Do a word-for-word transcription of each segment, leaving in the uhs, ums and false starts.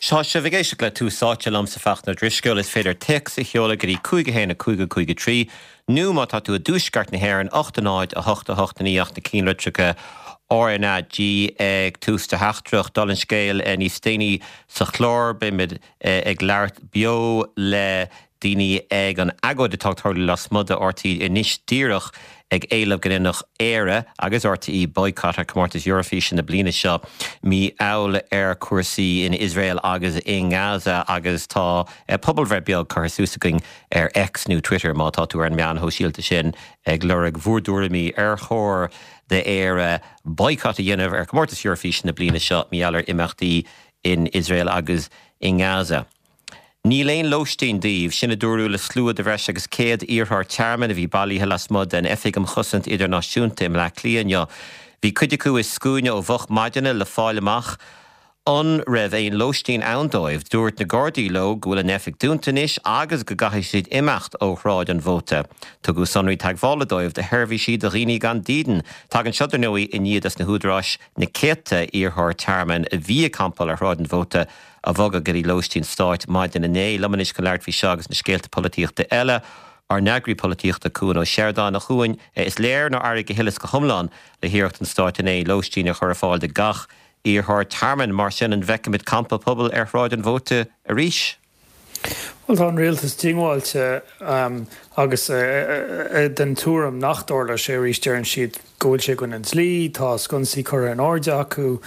Tá sibh ag éisteacht le Tús Áite liomsa Fachtna Drisceoil is féidir téacs a sheoladh go dtí cúig a haon a cúig a cúig a trí, nó má tá tú i dtuaisceart na hÉireann ocht a náid a hocht a hocht a naoi ach na ceannlitreacha RnaG ag tús do theachtaireacht dála an scéil níos déanaí sa chlár beimid ag labhairt beo le daoine ag an agóid atá ag tarlú lasmuigh de RTÉ anois díreach ag éileamh go ndéanfadh Éire agus RTÉ boycott ar comórtas Eurofíse na bliana seo mar gheall ar chúrsaí in Iosrael agus i nGaza agus tá pobalbhreith beag curtha suas againn ar X nó Twitter má tá tú ar an meán sóisialta sin ag lorg bhur dtuairimí ar chóir d'Éire boycott a dhéanamh ar comórtas Eurofíse na bliana seo mar gheall ar imeachtaí in Iosrael agus i nGaza. Níl aon lóistín daoibh sin a dúradh le slua de bhreis agus céad iarrthóir tearmainn a bhí bailithe lasmuigh den Oifig um Chosaint Idirnáisiúnta i mBleá Cliath inniu. Bhí cuid acu i scuaine ó mhoch maidine le fáil amach an raibh aon lóistín ann dóibh. Dúirt na Gardaí leo go bhfuil an oifig dúnta anois agus go gcaithfidh siad imeacht ó Shráid an Mhóta. Tugadh sonraí teagmhála dóibh do sheirbhísí do dhaoine gan dídean. Tagann seo dar ndóigh i ndiaidh dos na húdaráis na céadta iarrthóir tearmainn a bhí ag campáil ar Shráid an Mhóta a bhogadh go dtí lóistín stáit maidin inné. Liom anois chun labhairt faoi seo agus na scéalta polaitíochta eile. Ár n-eagraí polaitíochta Cuan Ó Seireadáin a Chuain is léir nár éirigh go huile is go hiomlán le hiarracht an stáit inné lóistín a chur ar fáil do gach iarrthóir tearmainn mar sin an bhfeicfimid campa pobail ar Shráid an Mhóta arís. Well tá an rialtas diongbháilte um, agus uh, uh, den tuairim nach dtarlóidh sé arís deireann siad go bhfuil sé in aghaidh an dlí, tá sconsaí curtha in airde acu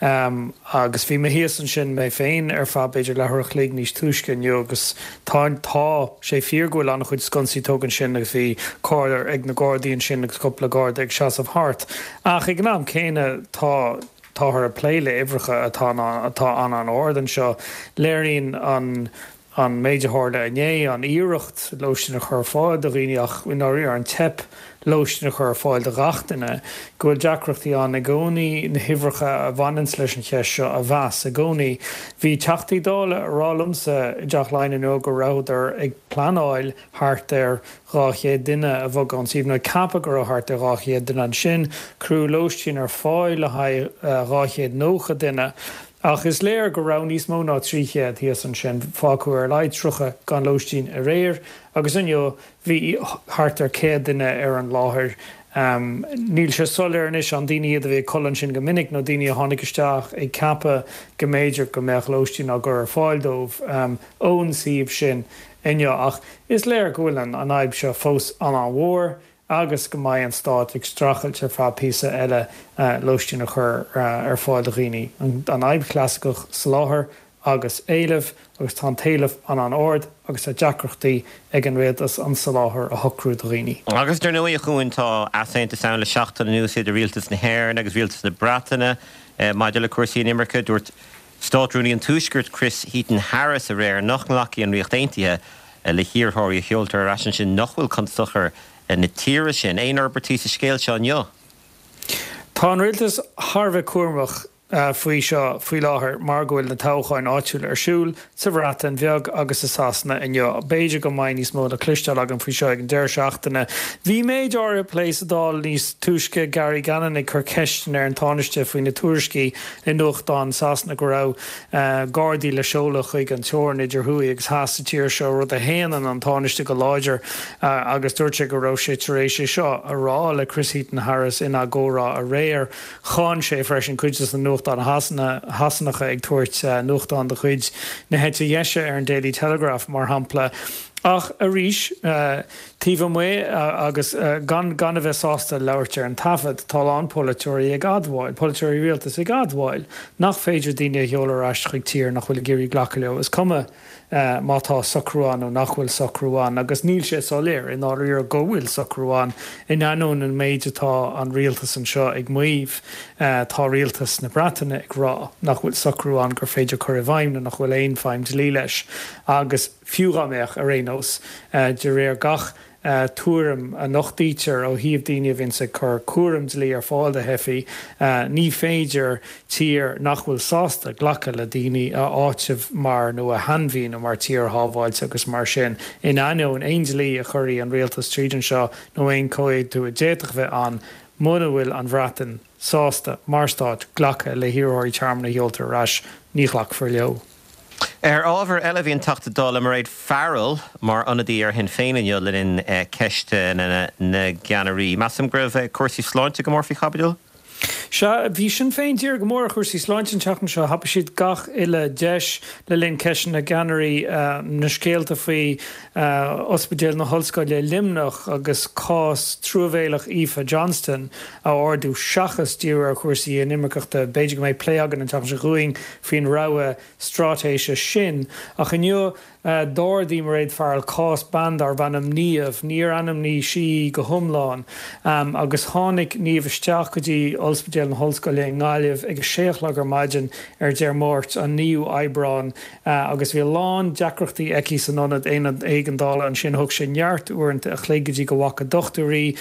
um, agus bhí mé thíos ansin mé féin ar feadh b'fhéidir leathuair a chloig níos túisce inniu agus tá tá sé fíor go bhfuil an-chuid sconsaí tógtha ansin agus bhí carr ag na Gardaí ansin agus cúpla garda ag seasamh thart. Ach ag an am céanna tá táthar ag plé le huimhreacha atá atá an an-ard anseo léiríonn an an méid a tharla inné an iarracht lóistín a chur ar fáil do dhaoine ach ar an teip lóistín a chur ar fáil do gach duine, go bhfuil deacrachtaí ann i gcónaí na huimhreacha a bhaineann leis an cheist seo a mheas i gcónaí. Bhí Teachtaí Dála ag rá liomsa i dTeach Laighean inniu go rabhadar ag pleanáil thart ar dhá chéad duine a bhogadh ón suíomh nó ceapadh go raibh thart ar dhá chéad duine ansin, cuireadh lóistín ar fáil le haghaidh dhá chéad nócha duine. Ach is léir go raibh níos mó ná trí chéad thíos ansin fágadh ar a laghad tríocha gan lóistín aréir agus inniu bhí thart ar céad duine ar an láthair. Um, níl sé soiléir anois an daoine iad a bhí ag codladh ansin go minic nó daoine a tháinig isteach ag ceapadh go mb'fhéidir go mbeadh lóistín á gcur ar fáil dóibh um, ón suíomh sin inniu ach is léir go bhfuil an an fhadhb seo fós an-mhór agus go mbeidh an stát ag streachailt ar feadh píosa eile uh, lóistín a chur uh, ar fáil do dhaoine. An fhadhb chlasaiceach soláthar agus éileamh agus tá an t-éileamh an an-ard agus tá deacrachtaí ag an rialtas an soláthar a shocrú do dhaoine. Agus dar ndóigh a Chuain tá easaontas ann le seachtain anuas idir rialtas na hÉireann agus rialtas na Breataine eh, maidir le cúrsaí inimirce dúirt Státrúnaí an Tuaiscirt Chris Heaton Harris aréir nach nglacfaidh an Ríocht Aontaithe eh, le hiarrthóirí a sheoltar ar ais ansin nach bhfuil chun sochair na tíre sin aon fhorbairtí sa scéal seo inniu. Tá an rialtas thar a bheith cúramach uh, faoi seo faoi láthair mar go bhfuil na toghcháin áitiúil ar siúl sa Bhreatain Bheag agus i Sasana inniu. B'fhéidir go mbeidh níos mó le cloisteáil againn faoi seo ag an deireadh seachtaine. Bhí méid áirithe plé sa Dáil níos túisce Gary Gannon ag cur ceisteanna ar an Tánaiste faoi na tuairiscí i nuachtáin Sasana go raibh uh, Gardaí le seoladh chuig an teorainn idir thuaidh agus theas sa tír seo rud a shéanann an Tánaiste go láidir uh, agus dúirt sé go raibh sé tar éis seo a rá le Chris Heaton Harris ina gcomhrá aréir cháin sé freisin cuid de na nuachtáin Shasanacha ag tabhairt uh, nuachtán de chuid na heite deise ar an Daily Telegraph mar shampla. Ach arís uh, taobh amuigh uh, agus uh, gan gan a bheith sásta labhairt ar an taifead tá an polaiteoirí ag admháil, polaiteoirí rialtais ag admháil, nach féidir daoine a sheoladh ar ais chuig tír nach bhfuil ag iarraidh glacadh leo. Is cuma uh, má tá socrú ann nó nach bhfuil socrú ann, agus níl sé soiléir i ndáiríre go bhfuil socrú ann in ainneoin an méid atá an rialtas anseo ag maíomh uh, tá rialtas na Breataine ag rá nach bhfuil socrú ann gur féidir cur i bhfeidhm nach bhfuil aon feidhm dlí leis agus fiú dá mbeadh ar aon nós uh, de réir gach uh, tuairim a nochtaítear ó thaobh daoine a bhíonn ag cur cúram dlí ar fáil do theifigh uh, ní féidir tír nach bhfuil sásta glacadh le daoine a áiteamh mar nó a shainmhíniú mar tír shábháilte agus mar sin in ainneoin aon dlí a chuirfidh an rialtas tríd anseo nó aon chomhaontú a d'fhéadfadh bheith ann muna bhfuil an Bhreatain sásta mar stát glacadh le hiarrthóirí tearmainn a sheoltar ar ais ní ghlacfar leo. Ar ábhar eile bhí an Teachta Dála Mairéad Farrell mar ionadaí ar Shinn Féin inniu le linn ceisteanna na gceannairí. Measaim go raibh cúrsaí sláinte go mór faoi chaibidil? Sea, bhí Sinn Féin dírithe go mór ar chúrsaí sláinte an tseachtain seo. Thapaigh siad gach uile deis le linn ceisteanna na gceannairí na scéalta faoi Ospidéal na hOllscoile Luimneach agus cás truamhéalach Aoife Johnston a ardú seachas díriú ar chúrsaí inimirceachta. B'fhéidir go mbeidh plé againn an tseachtain seo chugainn faoin rogha straitéise sin. Ach inniu d'ardaigh Mairéad Farrell cás bean darbh ainm Niamh, níor ainmnigh sí í go hiomlán, agus tháinig Niamh isteach go dtí Ospidéal na hOllscoile i nGaillimh ag a sé a chlog ar maidin ar Dé Máirt, an naoú Aibreán, agus bhí a lán deacrachtaí aici san ionad éigeandála ansin. Thóg sé neart uaireanta a chloig go dtí go bhfaca dochtúir í.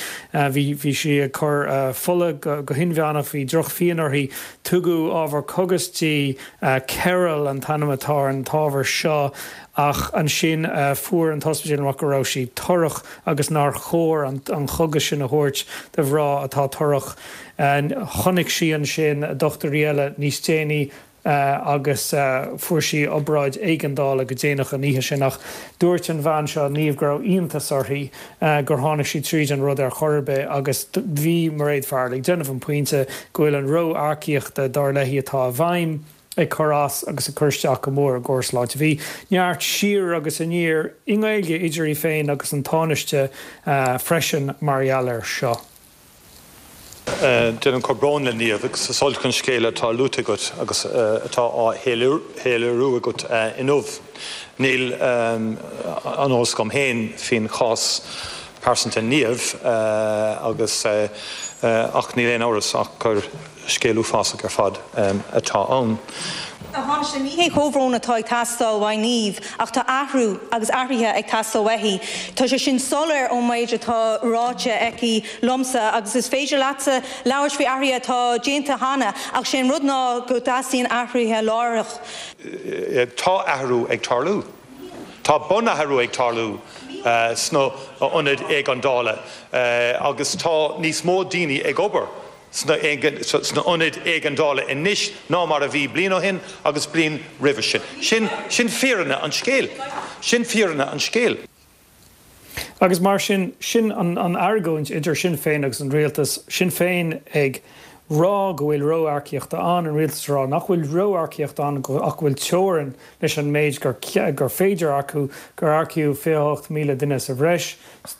Bhí bhí sí ag cur fola go hinmheánach, bhí drochphian uirthi. Tugadh ábhar cógas di, Ceril an t-ainm atá ar an t-ábhar seo, ach ansin fuair an t-ospidéal amach go raibh sí torrach agus nár chóir an cógas sin a thabhairt do mhná atá torrach. Chonaic sí ansin dochtúirí eile níos déanaí agus fuair sí obráid éigeandála go déanach an oíche sin ach dúirt an bhean seo, Niamh, go raibh iontas uirthi gur tháinig sí tríd an rud ar chor ar bith agus bhí Mairéad Farrell ag déanamh an pointe go bhfuil an ró-earcaíochta dar léi atá i bhfeidhm ag cur as agus ag cur isteach go mór ar an gcóras sláinte. Bhí neart siar agus aniar i nGaeilge idir í féin agus an Tánaiste freisin mar gheall air seo. Déanaim comhbhrón le Niamh agus is olc an scéal atá luaite agat agus atá á shoiléiriú agat inniu. Níl an eolas agam féin faoin chás pearsanta Niamh agus ach níl aon amhras ach gur scéal uafásach ar fad atá ann. A Thánaiste, ní hé comhbhrón atá ag teastáil uaidh Niamh ach tá athrú agus athruithe ag teastáil uaithi. Tá sé sin soiléir ón méid atá ráite aici liomsa agus is féidir leatsa labhairt faoi athruithe atá déanta cheana ach sé an rud ná go dteastaíonn athruithe láithreach. Tá athrú ag tarlú. Tá bunathrú ag tarlú sna hionaid éigeandála agus tá níos mó daoine ag obair sna hionaid éigeandála anois ná mar a bhí bliain ó shin agus bliain roimhe sin. Sin sin fírinne an scéil. Sin fírinne an scéil. Agus mar sin, sin an an argóint idir Sinn Féin agus an rialtas, Sinn Féin ag rá go bhfuil ró-earcaíocht ann, an rialtas ag rá nach bhfuil ró-earcaíocht ann ach go bhfuil teorainn leis an méid gur gur féidir earcú, gur earcaíodh fiche a hocht míle duine sa bhreis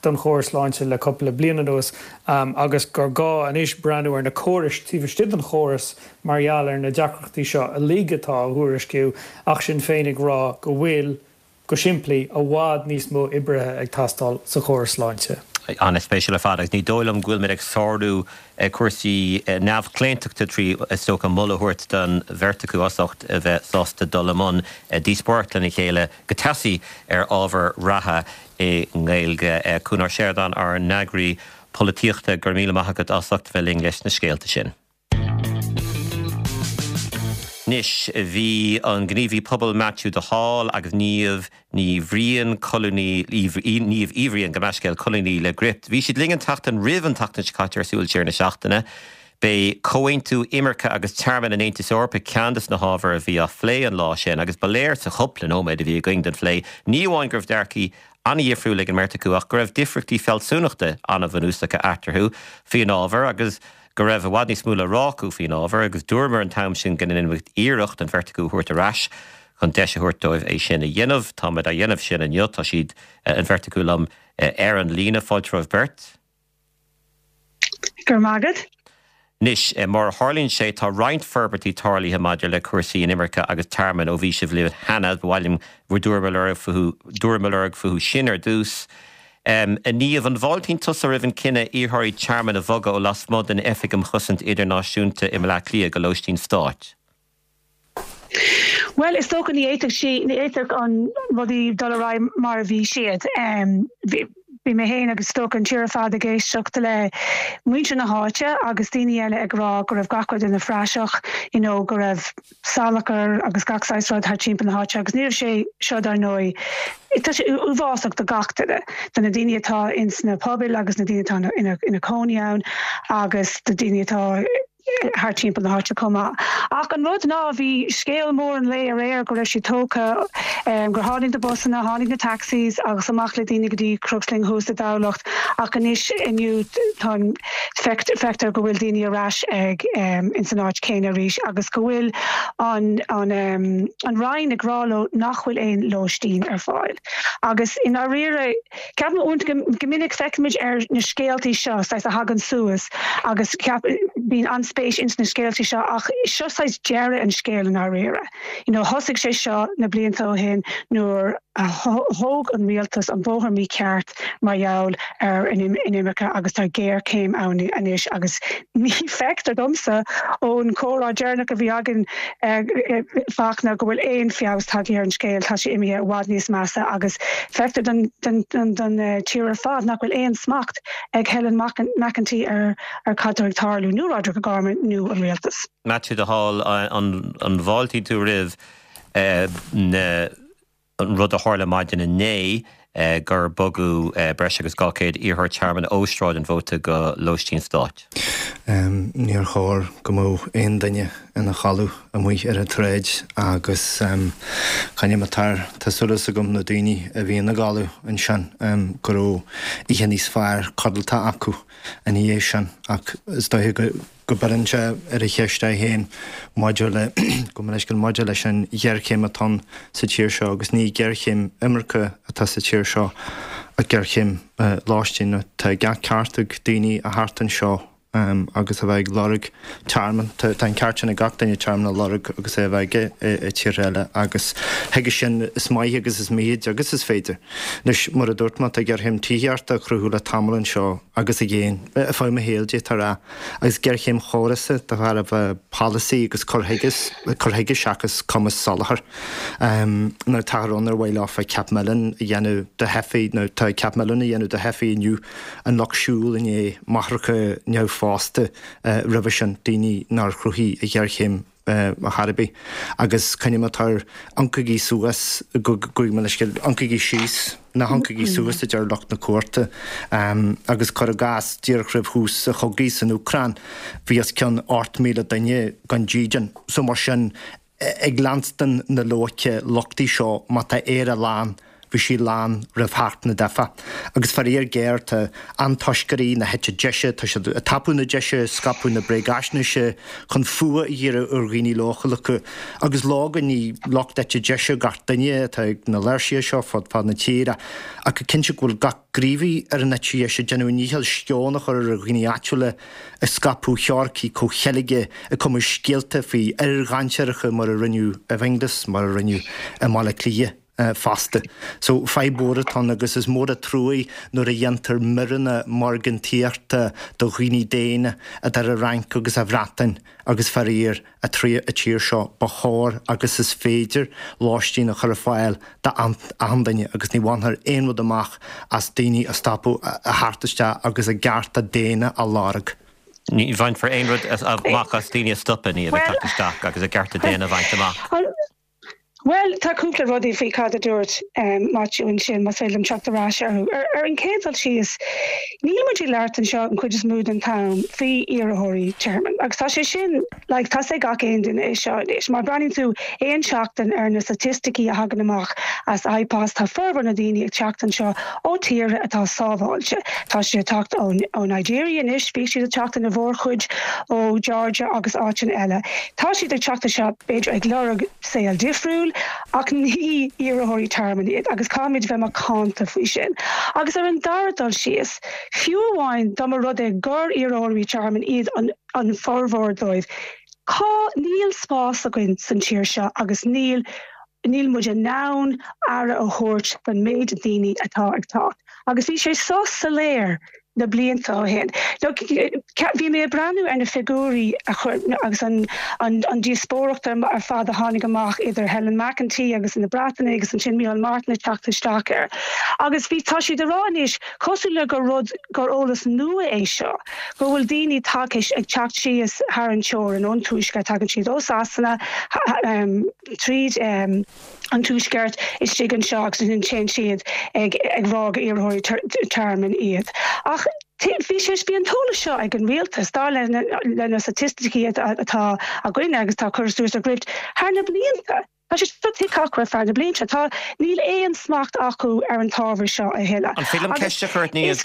don chóras sláinte le cúpla bliain anuas agus gur gá anois breathnú ar na córais taobh istigh den chóras mar gheall ar na deacrachtaí seo uilig atá á thuairisciú ach Sinn Féin ag rá go bhfuil, go simplí, i bhfad níos mó oibrithe ag teastáil sa chóras sláinte. An-spéisiúil ar fad agus ní dóigh liom go bhfuil muid ag sárú cúrsaí neamhchlaontachta trí, is dócha, moladh a thabhairt don bheirt acu as ucht a bheith sásta dul i mbun díospóireacht lena chéile go teasaí ar ábhar reatha i nGaeilge. Cuan Ó Seireadáin, ár n-eagraí polaitíochta, go raibh míle maith agat as ucht a bheith linn leis na scéalta sin. Anois, bhí an gníomhaí pobail Matthew de Hál agus Niamh Ní Bhriain, colúnaí, Niamh Uí Bhriain, gabh mo leithscéal, colúnaí le Gript. Bhí siad linn an tseachtain roimh an tseachtain seo caite ar Súil Siar na Seachtaine. B'é Comhaontú Imirce agus Tearmainn an Aontais Eorpaigh ceann de na hábhair a bhí á phlé an lá sin agus ba léir sa chúpla nóiméad a bhí againn don phlé ní amháin go raibh dearcaí an-dhifriúil ag an mbeirt acu ach go raibh difríochtaí fealsúnachta an-bhunúsacha eatarthu faoin ábhar agus go raibh i bhfad níos mó le rá acu faoin ábhar agus dúramar an t-am sin go ndéanfaimid iarracht an bheirt acu a thabhairt ar ais chun deis a thabhairt dóibh é sin a dhéanamh. Táimid á dhéanamh sin inniu. Tá siad, an bheirt acu liom ar an líne. Fáilte romhaibh beirt. Go raibh maith agat. Anois, mar a tharlaíonn sé, tá roinnt forbairtí tarlaithe maidir le cúrsaí inimirce agus tearmainn ó bhí sibh linn cheana. Ba mhaith liom bhur dtuairim a lorg fúthu, dtuairim a lorg fúthu sin ar dtús. A Niamh, an bhfáiltíonn tusa roimh an cinneadh iarrthóirí tearmainn a bhogadh ó lasmuigh den Oifig um Chosaint Idirnáisiúnta i mBaile Átha Cliath go lóistín stáit? Bhuel, is dócha ní fhéadfadh sí, ní fhéadfadh an rudaí dul ar aghaidh mar a bhí siad. Bhí mé féin agus is dócha an tír ar fad ag éisteacht le muintir na háite agus daoine eile ag rá go raibh gach rud ina phraiseach, you know, go raibh salachar agus gach saghas rud thart timpeall na háite agus ní raibh sé seo dar ndóigh, tá sé uafásach do gach duine, do na daoine atá ins na pobail agus na daoine atá ina ina cónaí ann agus do daoine atá thar timpeall na háite chomh maith. Ach an rud ná bhí scéal mór an lae aréir go raibh siad tógtha gur tháinig na busanna, tháinig na taxis agus amach le daoine go dtí Crooksling thuas i dTamhlacht ach anois inniu tá feictear go bhfuil daoine ar ais ag ins an áit céanna arís agus go bhfuil an an an Roinn ag rá leo nach bhfuil aon lóistín ar fáil. Agus i ndáiríre ceapaim uaireanta go minic feicimid ar na scéaltaí seo saghas a thagann suas agus bíonn an-spéis ins na scéaltaí seo ach seo saghas deireadh an scéil i ndáiríre. You know, thosaigh sé seo na blianta ó shin nuair a thóg an rialtas an bóthar mícheart mar gheall ar an inimirce agus tá géarchéim ann anois agus ní feictear domsa ón chomhrá deireanach a bhí againn Fachtna go bhfuil aon feabhas tagtha ar an scéal, tá sé imithe i bhfad níos measa agus feictear don don don don tír ar fad nach bhfuil aon smacht ag Helen McEntee ar ar cad atá ag tarlú nó Roderic O'Gorman nó an rialtas. Maitiú de Hál an an bhfáiltíonn tú roimh na an rud a tharla maidin inné gur bogadh breis agus dhá chéad iarrthóir tearmainn ó Sráid an Mhóta go lóistín stáit. Níor chóir go mbeadh aon duine ina chodladh amuigh ar an tsráid agus caithfidh tá tá súil agam na daoine a bhí ina gcodladh ansin go raibh oíche níos fearr codlata acu ina dhiaidh sin ach is dóiche go go gcuireann sé ar a cheist é féin maidir le go leis maidir leis an ghéarchéim atá sa tír seo agus ní géarchéim imirce atá sa tír seo ach géarchéim lóistín tá gach ceart ag daoine a theacht anseo um, agus a bheith ag lorg tearmann tá an ceart sin ag gach duine tearmann a lorg agus é a bheith i tír eile agus chuige sin is maith agus is míid agus is féidir. Anois mar a dúirt mé tá géarchéim tithíochta á cruthú le tamall anseo agus a ghéin fá mo shaol dé tar agus géarchéim chórasa de thairbhe polasaí agus cur chuige cur chuige seachas cumas soláthair. Um, nó tá an ar bhfuil leofa ceap milliún a dhéanamh de theifigh nó tá ceap milliún a dhéanamh de theifigh inniu an lucht siúil inné máithreacha neamhphósta uh, roimhe sin daoine nár chruthaigh an ghéarchéim uh, ar bith agus caithfidh tar ioncaigí suas go ioncaigí síos ná hioncaigí suas a deir lucht na cúirte um, agus cuir i gcás díreach roimh thús an chogaidh san Úcráin bhí os cionn ocht míle duine gan dídean so mar sin ag leanstan na loighce lochtaí seo má tá Éire lán bhí sí lán roimh theacht na dteifeach. Agus faraor géar tá antoisceoirí na heite deise tá siad ag tapú na deise scaipeadh na bréagaisnéise chun fuath a dhíriú ar dhaoine leochaileacha agus leoga ní lucht eite deise gach duine atá ag na léirsithe seo fud fad na tíre ach cinnte go bhfuil gach gníomhaí ar an eite dheis ag déanamh a ndícheall sceon a chur ar dhaoine áitiúla ag scaipeadh teoiricí comhcheilge ag cumadh scéalta faoi fhir dhainséaracha mar a rinneadh i bhFinglas mar a rinneadh i mBaile Átha Cliath. fosta. So fadhb mhór atá ann agus is mór an trua nuair a dhéantar míreanna margantaíochta do dhaoine daonna idir an Fhrainc agus an Bhreatain agus faraor an tír seo ba chóir agus is féidir lóistín a chur ar fáil d'achan duine agus ní bhainfear aon rud amach as daoine a stopadh a theacht isteach agus a gcearta daonna a lorg. Ní bhainfear aon rud amach as daoine a stopadh ní a bheith teacht isteach agus a gcearta daonna a bhaint amach. Bhuel, tá cúpla rudaí faoi cad a dúirt um, Maitiú ansin más féidir liom teacht ar ais orthu. Ar, ar an chéad dul síos, níl muid ag labhairt anseo an chuid is mó den t-am faoi iarrthóirí tearmainn. Agus tá sé sin like, tá sé gach aon duine é seo anois. Má breathnaíonn tú aon seachtain ar na staitisticí a thagann amach as IPOS tá formhór na daoine ag teacht anseo ó tíortha atá sábháilte. Tá siad ag teacht ó, ó Nigeria anois, bhí siad ag teacht ina mhórchuid ó Georgia agus áiteanna eile. Tá siad ag teacht anseo b'fhéidir ag lorg saol difriúil, ach ní iarrthóirí tearmainn iad agus caithfimid bheith macánta faoi sin. Agus ar an dara dul síos, fiú amháin dá mba rud é gur iarrthóirí tearmainn iad an, an formhór dóibh. Cá níl spás againn san tír seo agus níl níl muid in ann aire a thabhairt don méid daoine atá ag teacht. Agus bhí sé so soiléir na blianta ó shin. Bhí mé ag breathnú ar na figiúirí a chur agus an, an, an díospóireacht ar fad a tháinig amach idir Helen McEntee agus na Breataine agus ansin Micheál Martin ag teacht isteach air. Agus bhí tá siad ag rá anois cosúil le gur rud gur eolas nua é seo, go bhfuil daoine tagtha ag teacht síos thar an teorainn ón tuaisceart tagann siad ó Sasana um, tríd um, an tuaisceart istigh anseo agus ansin téann siad ag ag rá gur iarrthóirí tearmainn iad. Ach Bhí sé bhí an t-eolas seo ag an rialtas dar le le na staitisticí atá againn agus tá curtha suas ag Grift thar na blianta. Tá sé tuigthe acu ar feadh na blianta. Tá níl aon smacht acu ar an t-ábhar seo a thuilleadh. An féidir liom ceist a chur ort Niamh?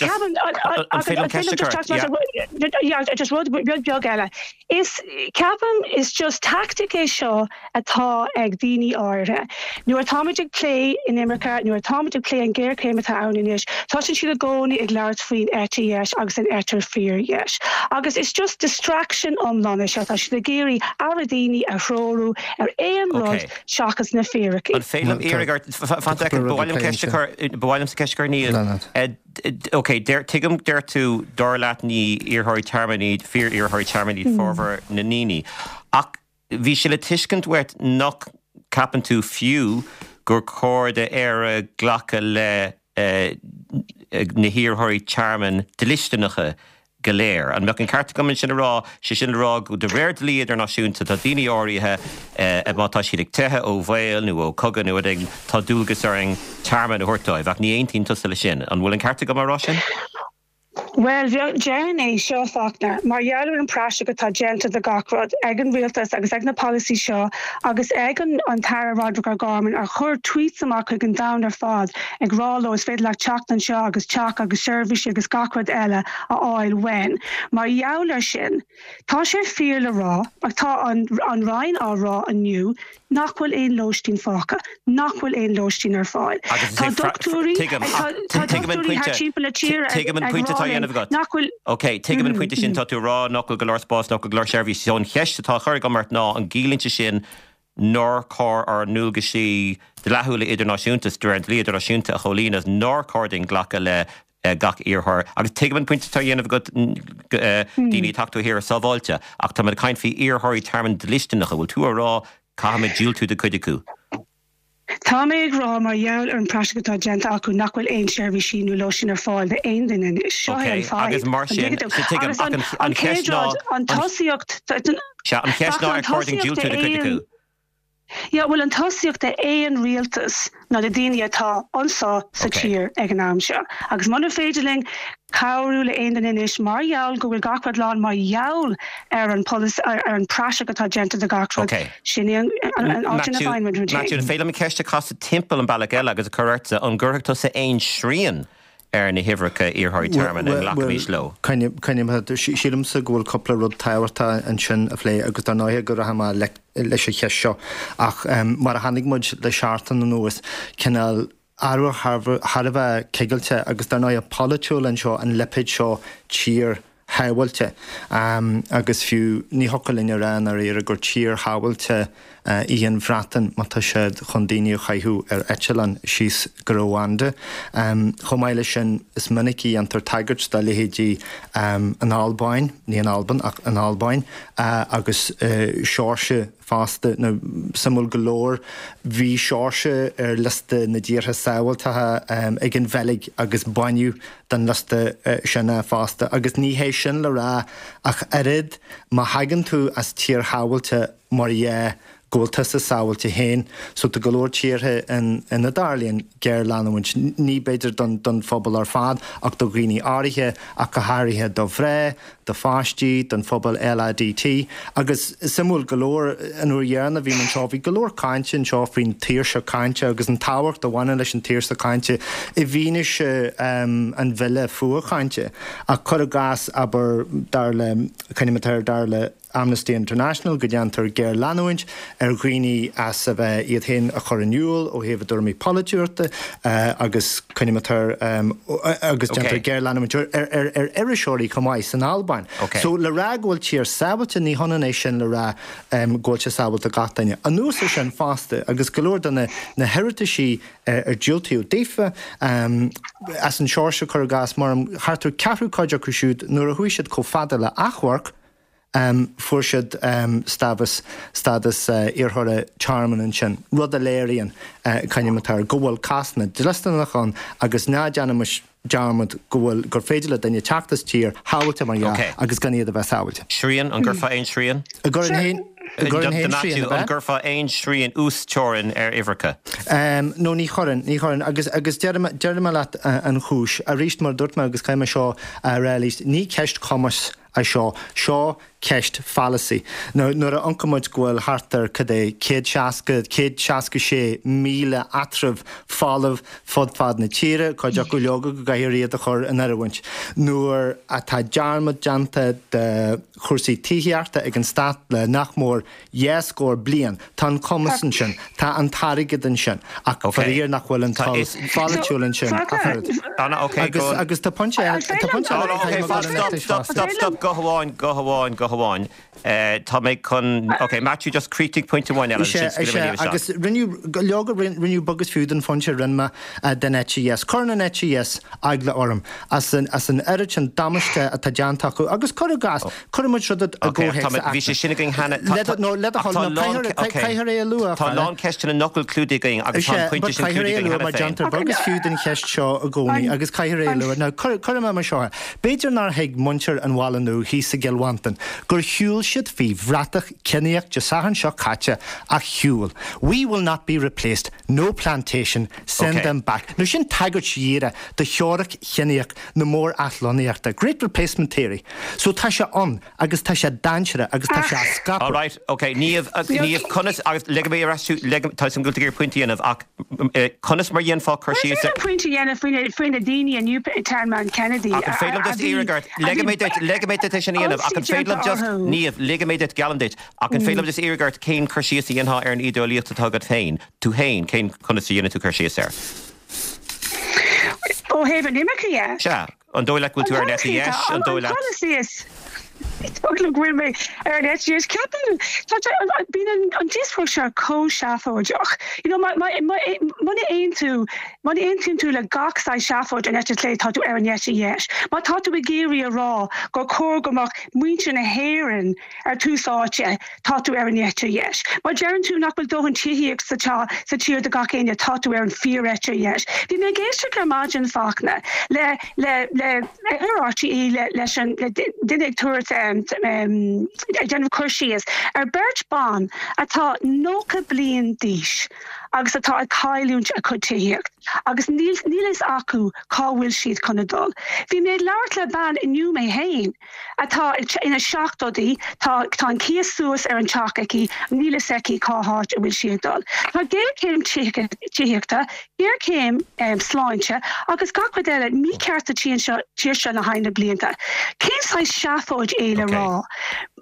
An féidir liom ceist a chur? Yeah, just rud rud beag eile. Is ceapaim is just tactic é seo atá ag daoine áirithe. Nuair atáimid ag plé inimirce, nuair atáimid ag plé an ghéarchéim atá ann anois, tá siad i gcónaí ag labhairt faoin eite dheis agus an eite fíordheis. Agus is just distraction iomlán é seo, tá siad ag iarraidh aire daoine a threorú ar aon rud seachas na fíricí. An féidir liom iarraidh ort, fan soicind, ba mhaith liom ceist a chur, ba mhaith liomsa ceist a chur Niamh. Ok, tuigim deir tú dar leat ní iarrthóirí tearmainn iad, fíor-iarrthóirí tearmainn iad formhór na ndaoine. Ach bhí sé le tuiscint uait nach gceapann tú fiú gur chóir d'Éire glacadh le na hiarrthóirí tearmainn dlisteanacha go léir. An mbeadh an ceart agam sin a rá, sé sin le rá go de réir dlí idirnáisiúnta tá daoine áirithe má tá siad ag teitheadh ó bhaol nó ó chogadh nó rud éigin, tá dualgas orainn tearmann a thabhairt dóibh, ach ní aontaíonn tusa leis sin. An bhfuil an ceart agam a rá sin? Bhuel, déarfainn é seo Fachtna, mar gheall ar an praiseach atá déanta de gach rud ag an rialtas agus ag na polasaí seo agus ag an an tAire Roderick O'Gorman a chuir tweets amach chuig an domhan ar fad ag rá leo is féidir leat teacht anseo agus teach agus seirbhísí agus gach rud eile a fháil uainn. Mar gheall ar sin, tá sé fíor le rá, ach tá an an Roinn á rá inniu nach bhfuil aon lóistín fágtha, nach bhfuil aon lóistín ar fáil. Tá dochtúirí tá dochtúirí thar timpeall na tíre Tuigim an pointe atá á dhéanamh agat. nach bhfuil Ok, tuigim an pointe sin tá tú rá nach bhfuil go leor spás nach bhfuil go leor seirbhísí. So an cheist atá á chur agam ort ná an gciallaíonn sé sin nár chóir ár ndualgaisí dlíthiúla idirnáisiúnta de réir an dlí idirnáisiúnta a chomhlíonadh nár chóir dúinn glacadh le gach iarrthóir. Agus tuigim an pointe atá á dhéanamh agat daoine teacht ó thíortha sábháilte, ach tá mé ag caint faoi iarrthóirí tearmainn dlisteanacha, bhfuil tú á rá caithfimid diúltú do chuid acu. Tá mé ag rá mar gheall ar an praiseach atá déanta acu nach bhfuil aon seirbhísí nó lóistín ar fáil d'aon duine anois. Seo é an fadhb. Agus mar sin tuigim an cheist ná an tosaíocht an cheist ná ar chóir dúinn diúltú do chuid acu. Ja, bhfuil an tosaíocht aon rialtas ná na daoine atá anseo sa tír ag an am seo. Agus muna féidir linn cabhrú le aon duine anois mar gheall go bhfuil gach rud lán mar gheall ar an ar an praiseach atá déanta de gach rud sin an áit ina bhfeidhm. Matthew, an féidir liom ceist a chasadh timpeall an bealach eile agus a chur ortsa an gcuirfeadh tusa aon srian ar na huimhreacha iarrthóirí tearmainn a nglacfaimis leo. Sílimse go bhfuil cúpla rud tábhachtach ansin a phlé agus dar ndóigh go rachaidh mé leis an cheist seo ach mar a chonaic muid le seachtain anuas cineál athrú thar a bheith cigilte agus dar ndóigh polaitiúil anseo an lipéad seo tír shábháilte agus fiú ní thiocfadh linn a rá i ndáiríre gur tír shábháilte í an Bhreatain má tá siad chun daoine a chaitheamh ar eitleán síos go Rwanda. Chomh maith leis sin is minic a dhéantar tagairt do leithéidí an Albáin, ní an Albain ach an Albáin agus Seoirsia fosta. Nó suimiúil go leor bhí Seoirsia ar liosta na dtíortha sábháilte ag an Bheilg agus baineadh den liosta sin é fosta. Agus ní hé sin le rá ach oiread má thagann tú as tír shábháilte mar dhea go bhfuil tusa sábháilte féin, so tá go leor tíortha ina dtarlaíonn géarleanúint, ní b'fhéidir don don phobal ar fad ach do dhaoine áirithe ach go háirithe do mhná, do pháistí, don phobal LADT. Agus suimiúil go leor an uair dheireanach a bhí mé anseo bhí go leor cainte anseo faoin tsaoirse cainte agus an tábhacht a bhaineann leis an tsaoirse cainte i bhfianaise an bhille fuathchainte. Ach cuir i gcás abair dar le coinnítear dar le Amnesty International go ndéantar géarleanúint ar dhaoine as a bheith iad féin a chur in iúl ó thaobh a dtuairimí polaitiúla agus coinnítear agus déantar géarleanúint ar ar iriseoirí chomh maith san Albain. So le rá go bhfuil tír sábháilte ní hionann é sin le rá go bhfuil sé sábháilte gach duine. Anuas air sin fosta agus go leor de na na hiarrataisí ar diúltaíodh daofa as an Seoirsia cuir i gcás mar thart ar ceathrú cuid acu siúd nuair a chuaigh siad chomh fada le achomharc, fuair siad stádas stádas iarrthóra tearmainn ansin, rud a léiríonn coinnítear go bhfuil cásanna dlisteanacha ann agus ná déanaimis dearmad go bhfuil gur féidir le duine teacht as tír shábháilte mar dhea agus gan iad a bheith sábháilte. Srian, an gcuirfeá aon srian? An gcuirfinn féin? An gcuirfeá aon srian uasteorainn ar uimhreacha? Um, no ní chuirfinn, ní chuirfinn agus agus déarfaidh mé leat uh, an chúis arís mar dúirt mé agus caithfidh mé seo a rá arís ní ceist cumais é seo seo ceist pholasaí. Nuair a amharcann muid go bhfuil thart ar cad é céad seasca céad seasca sé míle áitreabh folamh fud fad na tíre, cuid acu leoga go gcaithfear iad a chur in oiriúint. Nuair atá dearmad déanta de chúrsaí tithíochta ag an stát le nach mór dhá scór bliain, Tá an cumas ansin, tá an t-airgead ansin ach faraor nach bhfuil an toil pholaitiúil ansin. Agus tá pointe Stop, stop, stop, go hamháin, go hamháin, go hamháin. Tá mé chun ok Matthew just críochnaigh pointe amháin eile agus rinneadh leoga rinneadh beag is fiú den phointe a rinne mé den eite dheis. Cuireann an eite dheis eagla orm as an as an oiread sin damáiste atá déanta acu agus cuir i gcás cuirfidh muid rud i gcomhthéacs Bhí sé sin againn cheana nó le do thoil caithfear é a lua. Tá lán ceisteanna nach bhfuil clúdaithe againn agus tá an pointe sin clúdaithe againn cheana féin. Déantar beag is fiú den cheist seo i gcónaí agus caithfear é a lua. Now cuirfidh mé mar seo é. B'fhéidir nár thuig muintir an Bhaile Nua thíos i gCill Mhantáin gur shiúil siad faoi bhratach ciníoch Dé Sathairn seo caite ach shiúil. We will not be replaced, no plantation, send okay. them back. Now sin tagairt dhíreach do theoiric chiníoch na mór-athlonnaíochta. Great Replacement Theory. So tá sé ann agus tá sé dainséarach agus tá sé á scaipeadh. All right, okay, Niamh, Niamh, conas agus ligfidh mé ar ais tá a fhios agam go bhfuil tú ag iarraidh pointe a dhéanamh ach conas mar dhéanfá cur síos ar. Pointe a dhéanamh faoi na daoine i Newtownmountkennedy. Ach an féidir liom just iarraidh ort, ligfidh mé duit, ligfidh mé duit é sin a dhéanamh ach an féidir liom just, Niamh, ligfidh mé duit, geallaim duit, ach an féidir liom just iarraidh ort cén cur síos a dhéanfá ar an ídeolaíocht atá agat féin, tú féin, cén conas a dhéanann tú cur síos air? Ó thaobh an imirce dhe? Sea. An dóigh leat go bhfuil tú ar an eite dheis, an dóigh leat? Is dóigh liom go bhfuil mé ar an eite dheis. Ceapaim, tá sé, bíonn an díospóireacht seo chomh seafóideach. You know, muna aontú, muna aontaíonn tú le gach saghas seafóid an eite chlé, tá tú ar an eite dheis. Má tá tú ag iarraidh a rá gur chóir go mbeadh muintir na hÉireann ar tús áite, tá tú ar an eite dheis. Má deireann tú nach bhfuil dóthain tithíocht sa sa tír do gach éinne, tá tú ar an fíor-eite dheis. Bhí mé ag éisteacht ar maidin Fachtna le le le ar RTÉ le leis an le duine ag tabhairt ag déanamh cur síos ar beirt ban atá nócha bliain d'aois agus atá ag cailliúint a cuid tithíocht agus níl níl fhios acu cá bhfuil siad chun a dul. Bhí mé ag labhairt le bean inniu mé féin atá ina seachtóidí, tá tá an cíos suas ar an teach aici, níl fhios aici cá háit a bhfuil sí ag dul. Tá géarchéim tithíochta, géarchéim sláinte agus gach rud eile mícheart sa tír seo tír seo le haghaidh na blianta. Cén saghas seafóid é le rá?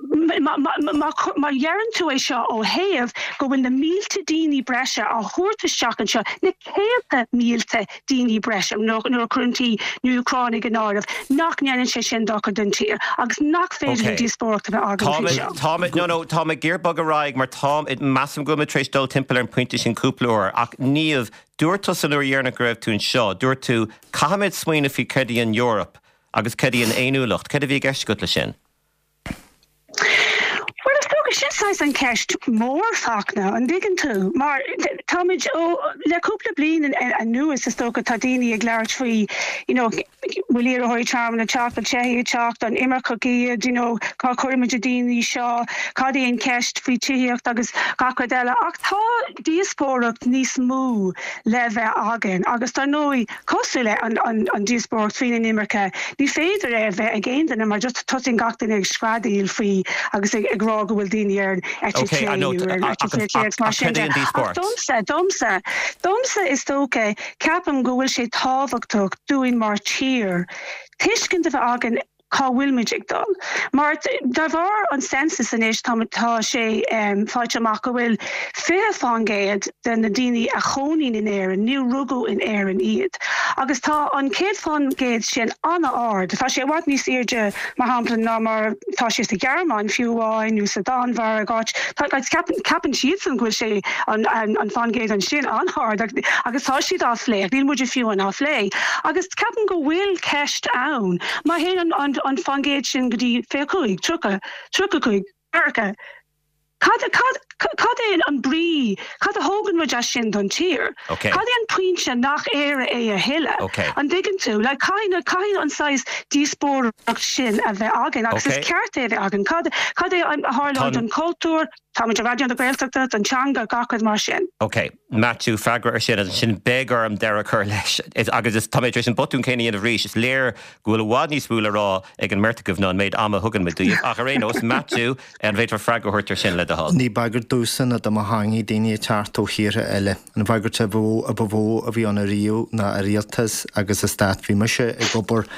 Má dheireann tú é seo ó thaobh go bhfuil na mílte daoine breise á thabhairt isteach anseo, na céadta mílte daoine breise nuair a chuireann tú na hÚcránaigh in áireamh, nach ndéanann sé sin dochar don tír agus nach féidir linn díospóireacht a bheith againn faoi seo. Tá mé, no, no, tá mé ag iarraidh bogadh ar aghaidh mar tá, measaim go bhfuil mé tar éis dul timpeall ar an bpointe sin cúpla uair ach Niamh, dúirt tusa an uair dheireanach go raibh tú anseo, dúirt tú, caithfimid smaoineamh faoi céard í an Eoraip agus céard í an fhéiniúlacht, céard a bhí i gceist agat leis sin? Bhuel, is dócha, sin saghas an cheist mhór, Fachtna, an dtuigeann tú? Mar táimid ó, le cúpla bliain anuas, is dócha, tá daoine ag labhairt faoi, you know, bhfuil iarrthóirí tearmainn ag teacht, bhfuil teifigh ag teacht, an imirceach iad, you know, cá gcuirimid na daoine seo, cad é an cheist faoi tithíocht agus gach rud eile. Ach tá díospóireacht níos mó le bheith againn agus dar ndóigh, cosúil le an díospóireacht faoin inimirce, ní féidir é a bheith ag aon duine mar just tosaíonn gach duine ag screadaíl faoi agus ag rá go bhfuil daoine ar an eite chlé nó ar an eite chlé agus mar sin de. Ach domsa, domsa, domsa is dócha, ceapaim go bhfuil sé tábhachtach dúinn mar tír tuiscint a bheith againn cá bhfuil muid ag dul. Mar de bharr an census anois tá tá sé faighte amach go bhfuil fiche fán gcéad de na daoine a chónaíonn in Éirinn, níor rugadh in Éirinn iad. Agus tá an céad fán gcéad sin an-ard. Tá sé i bhfad níos airde, mar shampla, ná mar tá sé sa Ghearmáin fiú amháin nó sa Danmhairg, áit ceapann ceapann siadsan go bhfuil sé an an fán gcéad ansin an-ard agus tá siad á phlé ach níl muide fiú á phlé. Agus ceapaim go bhfuil ceist ann má théann an an fán gcéad sin go dtí fiche cúig, tríocha, tríocha cúig, ceathracha, cad cad cad é é an brí cad a thógann muid as sin don tír Okay. Cad é an pointe nach Éire é a thuilleadh Okay. an dtuigeann tú le caithfidh caithfidh an saghas díospóireacht sin a bheith againn agus Okay. is ceart é bheith againn cad cad é a tharlóidh don cultúr Tá Raidió na Gaeltachta don teanga gach rud mar sin. Ok, Matthew freagra ar sin sin beidh orm deireadh a chur leis agus is tá éis an botún céanna a dhéanamh arís is léir go bhfuil i bhfad níos mó le rá ag an mbeirt agaibh ná an méid ama a thugann muid daoibh ach ar aon nós Matthew an bhféadfá freagra a thabhairt ar sin le do thoil. Ní bagairt domhsa ná do mo theanga daoine ag teacht ó thíortha eile. An bhagairt a bhó a ba mhó a bhí ann riamh ná a rialtas agus a stát bhí mise ag obair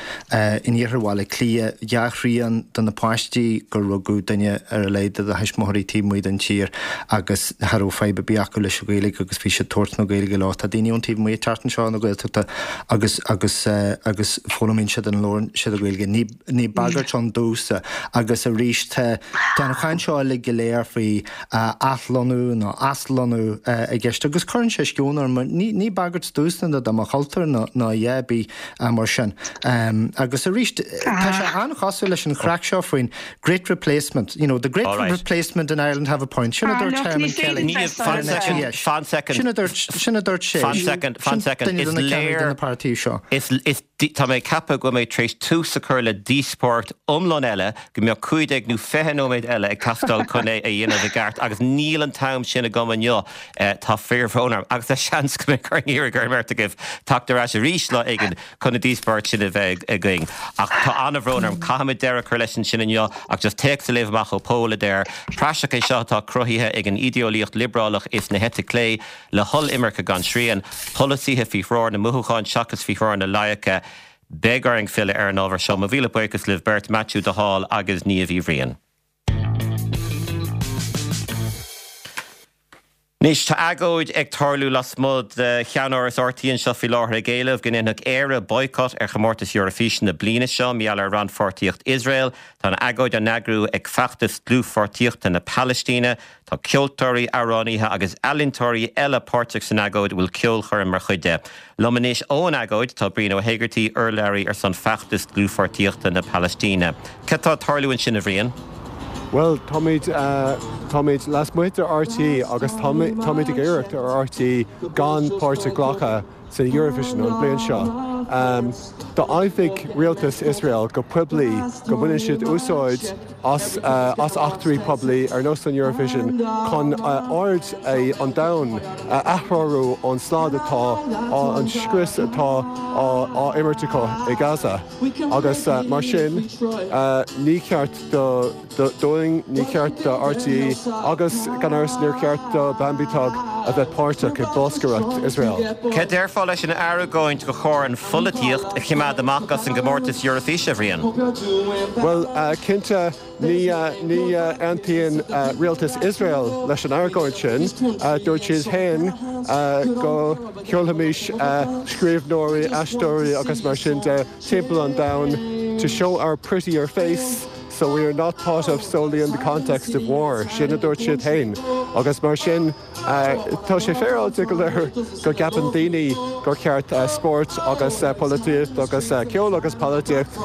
in iarthar Bhaile Átha Cliath dhá thrian de na páistí gur rugadh duine ar a laghad de thuismitheoirí taobh amuigh den tír agus cha raibh fadhb ar bith acu leis an Ghaeilge agus bhí siad ag tabhairt na Gaeilge leo tá daoine ón taobh amuigh ag teacht anseo na Gaeltachta agus agus uh, agus foghlaimíonn siad an labhrann siad an Ghaeilge ní ní bagairt ann domhsa agus arís tá an chaint seo le go léir faoi uh, athlonnú nó aslonnú uh, i gceist agus cuireann sé sceon orm ní ní bagairt domhsa ná do mo chultúr ná ná bí uh, mar sin. Um, agus arís tá sé an-chosúil leis an chraic seo faoin great replacement you know the great All right. replacement in Ireland have a point sin a Ah, dúirt look, Herman ní Kelly féidir Ní fan second fan second Sin a dúirt sin a dúirt sé Fan second fan second is léir na páirtí seo. Is is tá mé ag ceapadh go mé tréis tús a chur le díospóireacht iomlán eile go mbeadh cúig déag nó fiche nóiméad eile ag teastáil chun é a dhéanamh i gceart agus níl an t-am sin agam inniu tá fíorbhrón orm agus tá seans go mbeidh orm iarraidh ar an mbeirt agaibh teacht ar ais arís lá éigin chun an díospóireacht sin a bheith againn. Ach tá an-bhrón orm caithfimid deireadh a chur leis sin inniu ach just téacs a léamh amach ó Pól a deir. Praiseach é seo atá cruthaithe ag an idéolaíocht liobrálach is na heite clé le hollimirce gan srian, polasaithe faoi threoir na mothúchán seachas faoi threoir na loighce, Beidh orainn filleadh ar an ábhar seo mo mhíle buíochas libh beirt Matthew de Hál agus Niamh Uí Bhriain. Anois tá agóid ag tarlú lasmuigh de cheannáras R T É anseo faoi láthair ag éileamh go ndéanfadh Éire boycott ar chomórtas Eurofíse na bliana seo mar gheall ar rannpháirtíocht Iosrael, Tá an agóid á eagrú ag feachtas dlúthpháirtíochta na Palaistíne, Tá ceoltóirí amhránaithe agus ealaíontóirí eile páirteach san agóid bhfuil ceolchoirm mar chuid de. Liom anois ón agóid tá Brian Ó hÉigeartaigh urlabhraí ar son feachtas dlúthpháirtíochta na Palaistíne. Cad tá ag tarlú ansin a Bhriain? Well táimid uh, táimid lasmuigh de R T É agus táimid ag iarraidh ar R T É gan páirt a ghlacadh san Eurovision an bliain seo. Um, D'admhaigh rialtas Israel go poiblí go mbaineann siad úsáid as, uh, as eachtraí poiblí ar nós an Eurovision chun uh, aird an domhain uh, a athrú ón slad atá an scrios atá á imirt acu i Gaza. Agus uh, mar sin uh, ní ceart do dúinn ní ceart do R T É agus gan amhras níor cheart do Bambie Thug a bheith páirteach i bolscaireacht Israel. Cad déarfá leis an argóint gur chóir an pholaitíocht a choimeád amach as an gcomórtas Eurofíse a Bhriain? Well uh, cinnte ní uh, ní uh, aontaíonn uh, rialtas Israel leis an argóint sin uh, dúirt siad féin uh, go sheolfaimis uh, scríbhneoirí aisteoirí agus mar sin de timpeall an domhain to show our prettier face. So we are not thought of solely in the context of war. Sin a dúirt siad féin. Agus mar sin tá sé féaráilte go leir go gceapann daoine gur ceart spórt agus polaitíocht agus ceol agus polaitíocht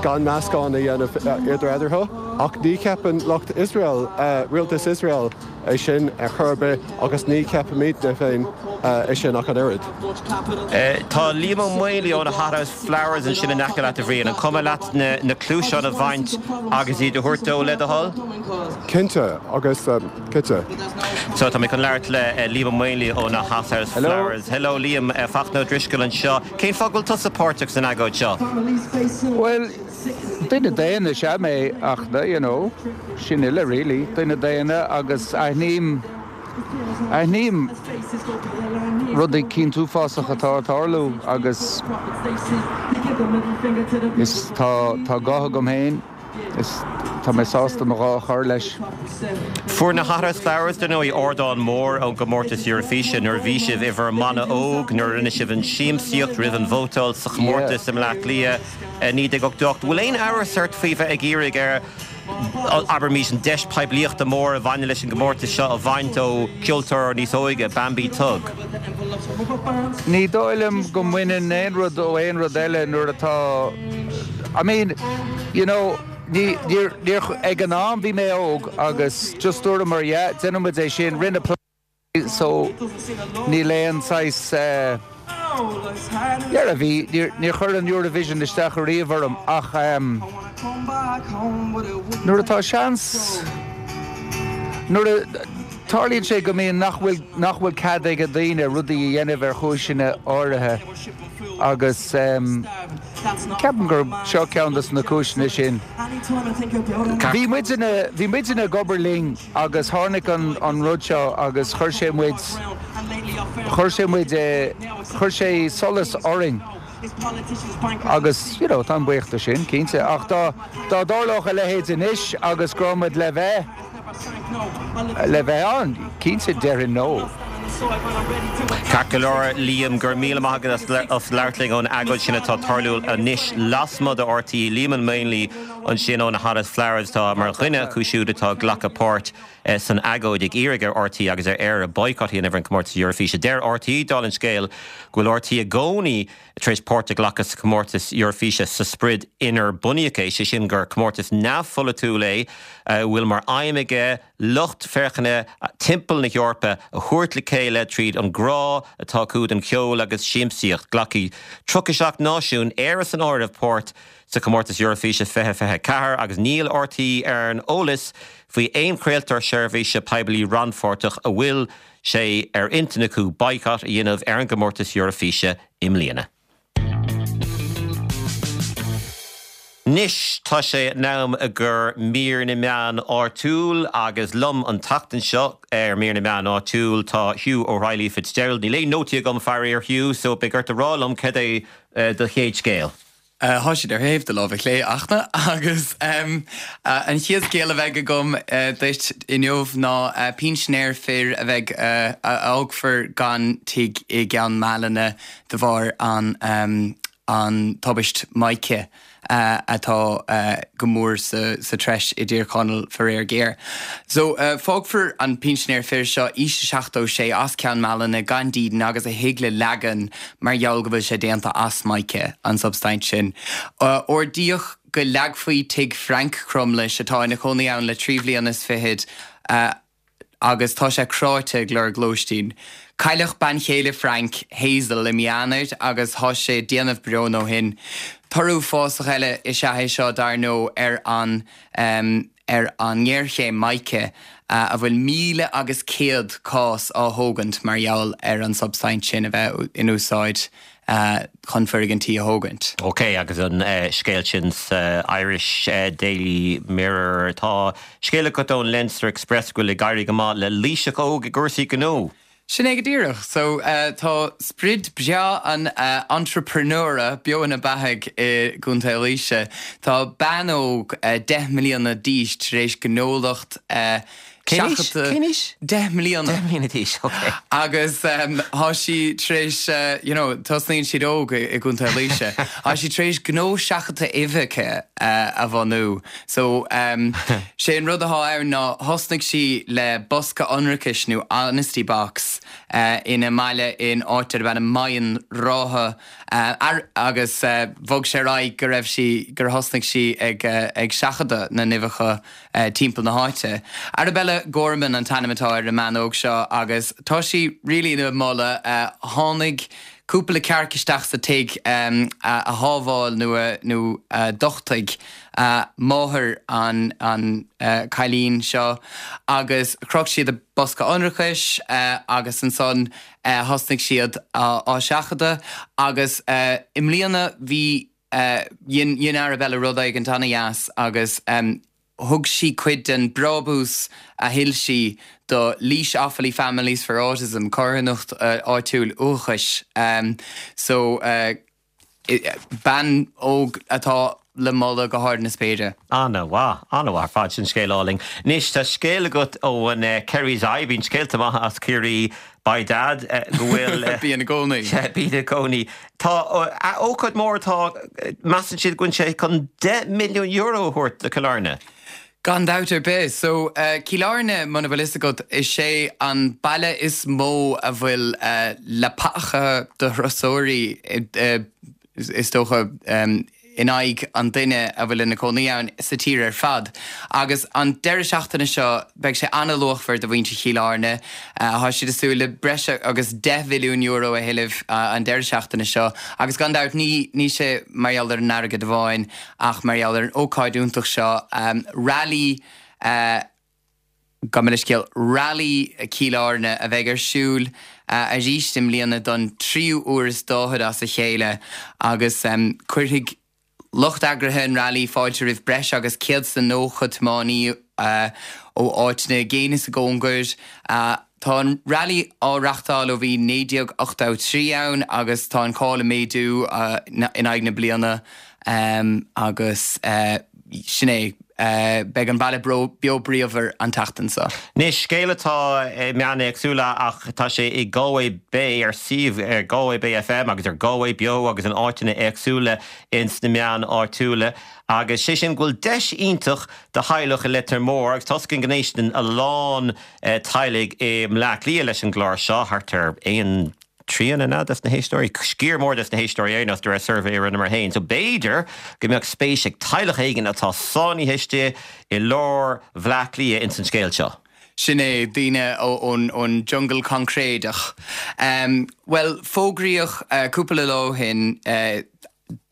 gan meascán a dhéanamh idir eatarthu. Ach ní cheapann lucht Israel rialtas Israel é sin ar chor ar bith agus ní cheapaimidne féin é sin ach an oiread. Tá Liam Ó Maonlaí ó na Hothouse Flowers ansin in aice leat a Bhriain an cuma leat na, na cluasáin a bhaint agus iad a thabhairt dó le do thoil? Cinnte agus cinnte. So tá mé chun labhairt le Liam Ó Maonlaí ó na Hothouse Flowers. Hello Liam Fachtna Ó Drisceoil anseo. Cén fáth go bhfuil tusa páirteach san agóid seo? Well, duine daonna is ea mé ach you know, sin uile really, duine daonna agus aithním aithním rudaí cinn uafásach atá ag tarlú agus is tá tá guth agam féin is tá mé sásta mo ghuth a chur leis. Fuair na Hothouse Flowers den í ardán mór ón gcomórtas Eurofíse nuair bhí sibh i bhur mbanna óg nuair rinne sibh an siamsaíocht roimh an vótáil sa chomórtas i mBleá Cliath naoi déag ochtó ocht. Bhfuil aon amhras ort faoi bheith ag iarraidh ar abraimis an deis poiblíochta mór a bhain leis an gcomórtas seo a bhaint ó cheoltóir níos óige Bambie Thug. Ní dóigh liom go mbaineann aon rud ó aon rud eile nuair atá I mean, you know, ní níor níor ag an am bhí mé óg agus just dúramar yeah, déanfaidh muid é sin rinne so níl aon saghas eh, yeah, bhí níor chuir an Eurovision isteach ariamh orm ach um, nuair atá seans nuair a tarlaíonn sé go mbíonn nach bhfuil nach bhfuil cead ag daoine rudaí a dhéanamh ar chúiseanna áirithe agus um, ceapaim gur seo ceann des na cúiseanna sin. Bhí muidne bhí muidne ag obair linn agus tháinig an, an rud seo agus chuir sé muid chuir sé muid eh, chuir sé solas orainn. Agus you know, tá buíoch de sin cinnte ach dá dá dtarlódh a leithéid anois agus go raibh muid le bheith le bheith ann cinnte déarfainn no. Ceart go leor Liam go raibh míle maith agat as labhairt linn ón agóid sin atá ag tarlú anois lasmuigh de RTÉ Liam Maonlaí ansin ó na Hottest Flowers tá mar dhuine acu siúd atá ag glacadh páirt eh, san agóid ag iarraidh ar RTÉ agus ar Éire boycott a dhéanamh ar an comórtas Eurofíse. Deir RTÉ dála an scéil go bhfuil RTÉ i gcónaí tar éis páirt a ghlacadh sa comórtas Eurofíse sa sprid inar bunaíodh é sé sin gur comórtas neamhpholaitiúil é a bhfuil mar aidhm aige lucht féachana timpeall na hEorpa a thabhairt le chéile tríd an grá atá acu don cheol agus siamsaíocht. Glacfaidh tríocha seacht náisiún Éire san áireamh páirt sa comórtas Eurofíse fiche fiche ceathair agus níl RTÉ ar an eolas faoi aon chraoltóir seirbhíse poiblí rannpháirteach a bhfuil sé ar intinn acu boycott a dhéanamh ar an gcomórtas Eurofíse i mbliana. Anois tá sé in am i gcomhair mír na meán áitiúil agus liom an tseachtain seo ar mír na meán áitiúil tá Hugh O'Reilly Fitzgerald. Níl aon nótaí agam faraor Hugh, so beidh ort a rá liom cad é eh, do chéad scéal. Uh, Tá siad ar thaobh do láimhe clé Fhachtna agus um, uh, an chéad scéal a bheidh agam uh, duit inniu ná uh, pinsinéir fir a bheidh uh, a fhágfar gan tigh i gCeann Mhálanna de bharr an, um, an tubaist mica uh, atá uh, go mór sa, sa treis i dTír Chonaill faraor géar. So uh, fágfar an pinsinéir fir seo aois seachtó sé as Ceann Mhálanna gan dídean agus a thigh le leagan mar gheall go bhfuil sé déanta as mica an substaint sin. Uh, Ordaíodh go leagfaí tigh Frank Crumlish atá ina chónaí ann le trí bhliain is fichead uh, agus tá sé cráite ag lorg lóistín. Cailleadh bean chéile Frank Hazel i mí Eanáir agus tá sé ag déanamh bróin ó shin. Toradh uafásach eile is ea é seo dar ndóigh ar an um, ar an ngéarchéim mica uh, a bhfuil míle agus céad cás á thógaint mar gheall ar an substaint sin a bheith in úsáid uh, chun foirgintí a thógaint. Ok, agus an uh, scéal sin sa Irish uh, Daily Mirror tá scéal agat ón Leinster Express go bhfuil ag éirí go maith le Laoiseach óg i gcúrsaí gnó. Sin é go díreach, so uh, tá sprid breá an uh, entrepreneura beo ina beathaidh i gContae Laoise. Tá bean óg uh, deich mbliana d'aois tar éis gnólacht uh, Cén aois? Deich mbliana. Deich mbliana d'aois, ok. Agus um, tá sí tar éis, uh, you know, tosnaíonn siad óg i gContae Laoise. Tá sí tar éis gnó seachadta uibheacha uh, a bhunú. So um, sé an rud atá ann ná thosnaigh sí le bosca ionracais nó honesty box uh, ina mbaile in áit darb ainm Maigh Rátha uh, ar, agus uh, bhog sé ar aghaidh go raibh sí gur thosnaigh sí ag, uh, ag seachadadh na n-uibheacha uh, timpeall na háite. Arabella Gorman an t-ainm atá ar an mbean óg seo agus tá sí really ina moladh uh, tháinig cúpla cearc isteach sa tigh um, a, a shábháil nó a, nó a d'uchtaigh uh, máthair an, an uh, cailín seo agus chroch siad a bosca ionracais uh, agus ansan uh, thosnaigh siad á, á seachadadh agus uh, i mbliana bhí uh, dhein, dhein Arabella rud éigin an-deas agus um, thug sí cuid den brabús a thuill sí do Laois Offaly Families for Autism carthanacht uh, áitiúil uathachais. Um, so uh, bean óg atá le moladh go hard na spéire. An-mhaith, an-mhaith ar fad sin scéal álainn. Anois tá scéal agat ó an uh, Kerry's Eye, bíonn scéalta maithe as Ciarraí by dad uh, go bhfuil uh, Bíonn i gcónaí. Bíonn i gcónaí. Tá uh, ócáid mór tá measann siad go bhfuil sé chun deich milliún euro a thabhairt do Chill Airne. Gan dabht ar bith, so uh, Cill Airne muna bhfuil fhios agat is sé an baile is mó a bhfuil uh, leapacha do thurasóirí uh, is dócha um, in aghaidh an duine a bhfuil ina cónaí ann sa tír ar fad. Agus an deireadh seachtaine seo beidh sé an-luachmhar do mhuintir Chill Airne. Tá siad ag súil le breis agus deich mhilliún euro a thuilleamh an deireadh seachtaine seo agus gan dabht ní ní sé mar gheall ar an airgead amháin ach mar gheall ar an ócáid iontach seo, Rally Gabh mo leithscéal, Rally Chill Airne a bheidh ar siúl arís i mbliana don tríú uair is daichead as a chéile agus cuirfidh lucht eagraithe an Rally fáilte roimh breis agus céad is nócha tiománaí ó áiteanna i gcéin is i gcóngar. Tá an Rally á reachtáil ó bhí naoi déag ochtó a trí ann agus tá an cáil ag méadú in aghaidh na bliana agus sin é. Beidh an baile beo bríomhar an tseachtain seo. Anois, scéal atá i meáin éagsúla ach tá sé i Galway Bay ar suíomh Galway Bay FM agus ar Galway Beo agus in áiteanna éagsúla ins na meáin áitiúla agus sé sin go bhfuil deis iontach do theaghlach i Leitir Móir agus tá's againn go n-éisteann a lán teaghlaigh i mBleá Cliath leis an gclár seo, thart ar aon trian an ea des na héisteoirí, sciar mór des na héisteoirí ar aon nós de réir suirbhé a rinneamar féin. So b'fhéidir go mbeadh spéis ag teaghlach éigin atá sáinnithe istigh i lár Bhleá Cliath ins an scéal seo. Sin é, daoine ón jungle coincréideach. Bhuel, fógraíodh cúpla lá ó shin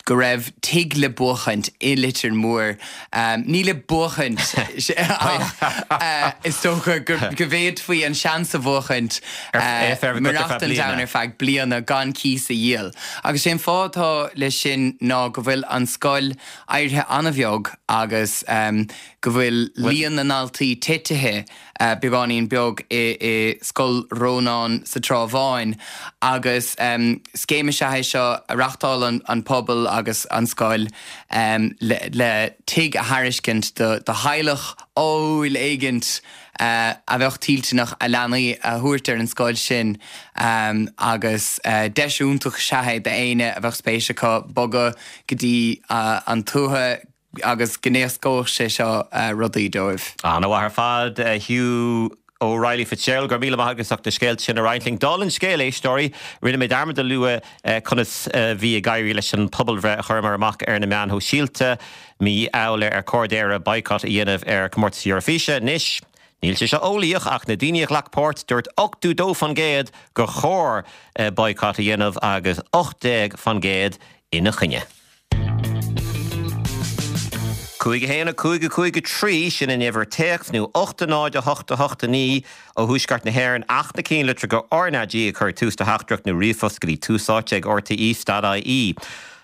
go raibh tigh le buachaint i Leitir Móir. Ní le buachaint ach is dócha go bhféadfaí an seans a bhuachaint maireachtaint ann ar feadh bliana gan cíos a dhíol. Agus sé an fáth atá leis sin ná go bhfuil an scoil éirithe an-bheag agus go bhfuil líon na ndaltaí titithe beagáinín beag i Scoil Rónáin sa Trá Bháin agus scéim is ea é seo a reachtálann an pobal agus an scoil le tigh a thairiscint do theaghlach ádhúil éigint a bheadh toilteanach a leanaí a thabhairt ar an scoil sin agus deis iontach is ea é d'éinne a bheadh spéis acu bogadh go dtí an tuath agus go n-éascódh sé seo rudaí dóibh. An-mhaith ar fad, a Hugh O'Reilly Fitzgerald, go raibh míle maith agat as ucht na scéalta sin a roinnt linn. Dála an scéil, éisteoirí, rinne mé dearmad a lua conas a bhí ag éirí leis an pobalbhreith a chuireamar amach ar na meáin shóisialta mí Iúil ar chóir d'Éire boycott a dhéanamh ar chomórtas Eoraifíse. Anois, níl sé seo eolaíoch ach na daoine a ghlac páirt, dúirt ochtó dó fan gcéad gur chóir boycott a dhéanamh agus ocht déag fan gcéad ina choinne. Cúig a haon a cúig a cúig a trí, sin an uimhir téacs, nó ocht a náid a hocht a hocht a naoi ó Thuaisceart na hÉireann ach na cinnlitreacha RnaG a chur ag tús do theachtaireacht nó ríomhphost go dtí Tús Áite ag RTE stad IE.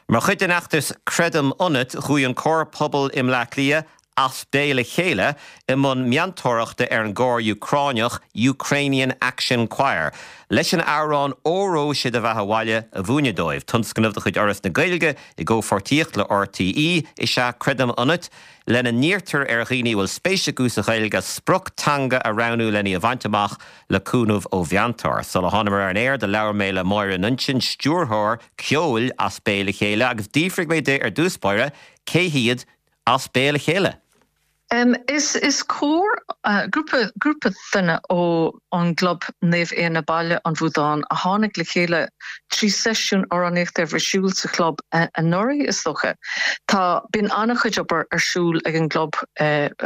Mar chuid den fheachtas Creidim Ionat, chuaigh an cór pobail i mBleá Cliath, As Béal a Chéile i mbun meantóireachta ar an gcór Úcráineach Ukrainian Action Choir leis an amhrán Óró Sé do Bheatha 'Bhaile a mhúineadh dóibh. Tionscnamh de chuid Fhoras na Gaeilge i gcomhpháirtíocht le RTÉ is ea Creidim Ionat, lena n-iarrtar ar dhaoine a bhfuil spéis acu sa Ghaeilge sprioc teanga a roghnú lena í a bhaint amach le cúnamh ó mheantóir. Sula thánamar ar an aer do labhair mé le Máire Nuinseann, stiúrthóir ceoil As Béal a Chéile agus d'fhiafraigh mé di ar dtús báire cé hiad As Béal a Chéile. Is is cór, grúpa grúpa duine ó an gClub Naomh Éanna Baile an Bhuadáin a tháinig le chéile trí seisiún amhránaíochta a bhí ar siúl sa chlub anuraidh is dócha. Tá bíonn an-chuid obair ar siúl ag an gclub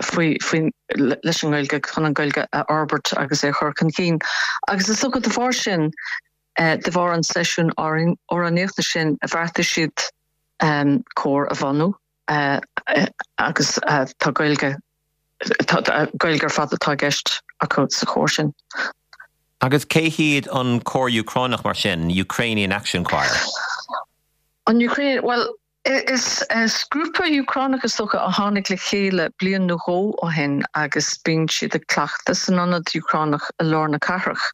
faoi faoi leis an nGaeilge chun an Ghaeilge a fhorbairt agus é a chur chun cinn agus is dócha de bharr sin de bharr an seisiún amhránaíochta sin bheartaigh siad cór a bhunú. agus tá Gaeilge Gaeilge ar fad atá i gceist acu sa chór sin. Agus cé hiad an cór Úcránach mar sin, Ukrainian Action Choir? An Ukrainian, bhuel, is is grúpa Úcránach is dócha a tháinig le chéile bliain nó dhó ó shin agus bíonn siad ag cleachtadh san ionad Úcránach i lár na cathrach.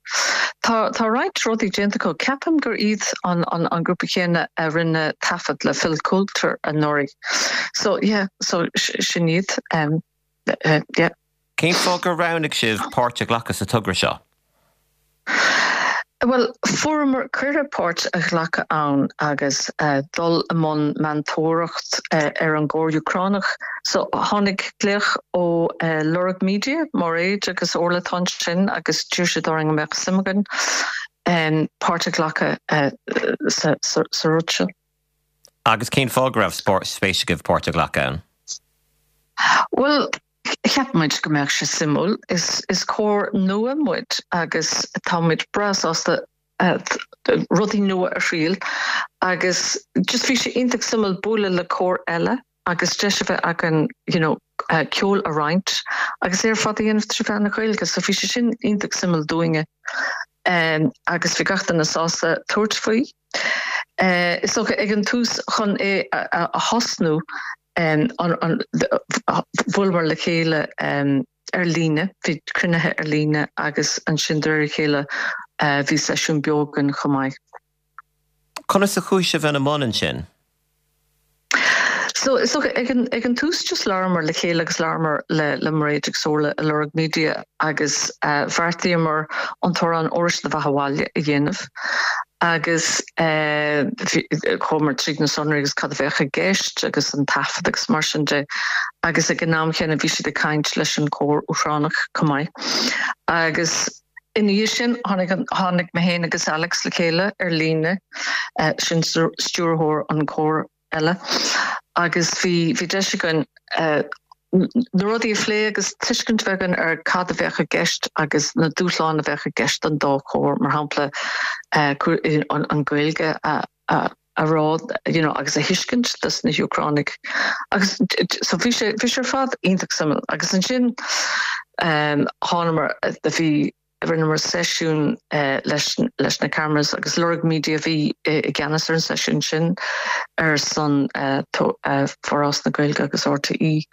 Tá tá roinnt rudaí déanta acu. Ceapaim gur iad an an an grúpa céanna a rinne taifead le Phil Coulter anuraidh. So yeah, so sin iad. Um, yeah. Cén fáth gur roghnaigh sibh páirt a ghlacadh sa togra seo? Bhuel, fuaireamar cuireadh páirt a ghlacadh ann agus dul i mbun meantóireacht ar an gcór Úcránach. So tháinig glaoch ó Lorg Media, Mairéad agus Orla ansin agus d'iarr siad orainn an mbeadh suim againn páirt a ghlacadh sa rud seo. Agus cén fáth go raibh spéis agaibh páirt a ghlacadh ann? Bhuel, cheap muid go mbeadh sé suimiúil. Is is cór nua muid agus tá muid breá sásta rudaí nua a thriail agus just bhí sé iontach suimiúil bualadh le cór eile agus deis a bheith againn you know, ceol a roinnt agus é ar fad a dhéanamh trí mheán na Gaeilge, so bhí sé sin iontach suimiúil dúinne um, agus bhí gach duine sásta tabhairt faoi. Uh, is dócha ag an tús chun é a, a, a thosnú um, an, an, bhuaileamar le chéile um, ar líne, bhí cruinnithe ar líne agus ansin de réir a chéile uh, bhí seisiún beo againn chomh maith. Conas a chuaigh sibh ina mbun ansin? So so ag an ag an tús just labhramar le chéile agus labhramar le le Mairéad agus Orla i Lorg Media agus uh, bheartaíomar an t-amhrán Óró Sé do Bheatha 'Bhaile a dhéanamh agus uh, chuamar tríd na sonraí agus cad a bheadh i gceist agus an taifead agus mar sin de agus ag an am chéanna bhí siad ag caint leis an cór Úcránach chomh maith. Agus ina dhiaidh sin tháinig tháinig mé féin agus Alex le chéile ar líne uh, sin stiúrthóir an cór eile agus bhí bhí deis againn uh, na rudaí a phlé agus tuiscint bheith againn ar cad a bheadh i gceist agus na dúshláin a bheadh i gceist an dá chór mar shampla uh, an, an Ghaeilge a, a, a rá you know, agus a thuiscint dos na hÚcránaigh agus so bhí sé bhí sé ar fad iontach suimiúil agus ansin um, thánamar bhí rinneamar seisiún uh, leis, leis na cameras agus Lorg Media bhí i gceannas ar an seisiún sin ar son uh, to, uh, Foras na Gaeilge agus RTÉ.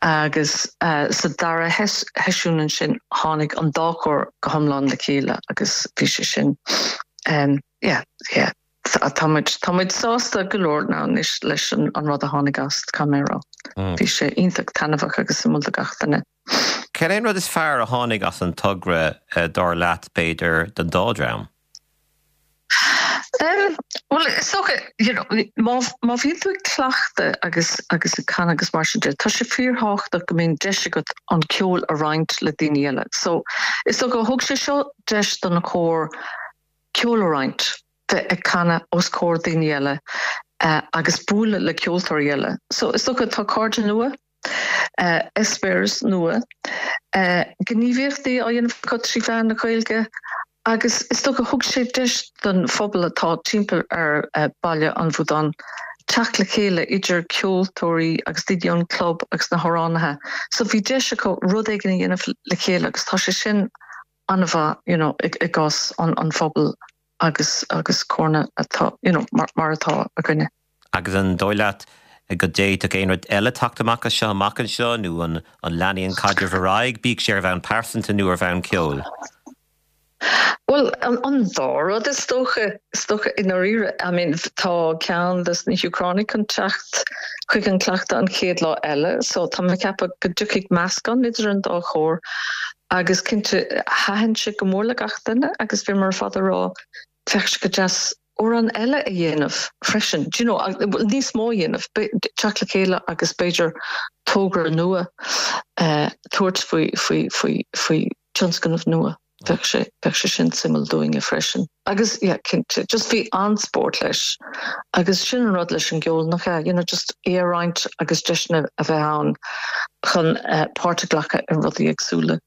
agus uh, sa dara sheisiún ansin tháinig an dá chór go hiomlán le chéile agus bhí sé sin um, yeah, yeah. Tá muid sásta go leor ná anois leis an, an rud a tháinig as camera. Mm. Bhí sé iontach taitneamhach agus suimiúil do gach duine. Cén an rud is fearr a tháinig as an togra uh, dar leat b'fhéidir den dá dream? Um, well is dócha you know, má má bhíonn tú ag cleachtadh agus agus ag canadh agus mar sin de, tá sé fíorthábhachtach go mbíonn deis agat an ceol a roinnt le daoine eile. So is dócha thug sé seo deis don na cór ceol a roinnt bheith ag canadh os comhair daoine eile uh, agus bualadh le ceoltóirí eile. So is dócha tá cairde nua, uh, eispéireas nua, uh, gníomhaíochtaí á dhéanamh acu trí mheán na Gaeilge, agus is dócha thug sé deis don phobal atá timpeall ar uh, Baile an Bhudáin teacht le chéile idir ceoltóirí agus daoine ón club agus na hamhránaithe. So bhí deis acu rud éigin a dhéanamh le chéile agus tá sé sin an-mhaith you know, i, i gcás an, an phobal agus agus córanna atá you know, mar, mar atá againne. Agus an dóigh leat go d'fhéadfadh aon rud eile teacht amach as seo amach anseo nó an an leanfaidh an caidreamh ar aghaidh, bíodh sé ar bhonn pearsanta nó ar bhonn ceoil. Well an, an dá rud is dócha is dócha i ndáiríre I mean, tá ceann des na hÚcránaigh chun teacht chuig an cleachtadh an chéad lá eile, so tá mé ag ceapadh go dtiocfaidh meascán idir an dá chór agus cinnte thaitin sé go mór le gach duine agus bhí mar fad rá bheadh sé go deas amhrán eile a dhéanamh freisin. Do you know, níos mó dhéanamh teacht le chéile agus b'fhéidir togra nua uh, tabhairt faoi faoi faoi faoi tionscnamh nua. Bheadh sé bheadh sé sin suimiúil dúinne freisin. Agus yeah, cinnte just bhí an-spórt leis agus sin an rud leis an gceol nach ea, you know, just é a roinnt agus deiseanna a bheith ann chun uh, páirt a ghlacadh i rudaí éagsúla.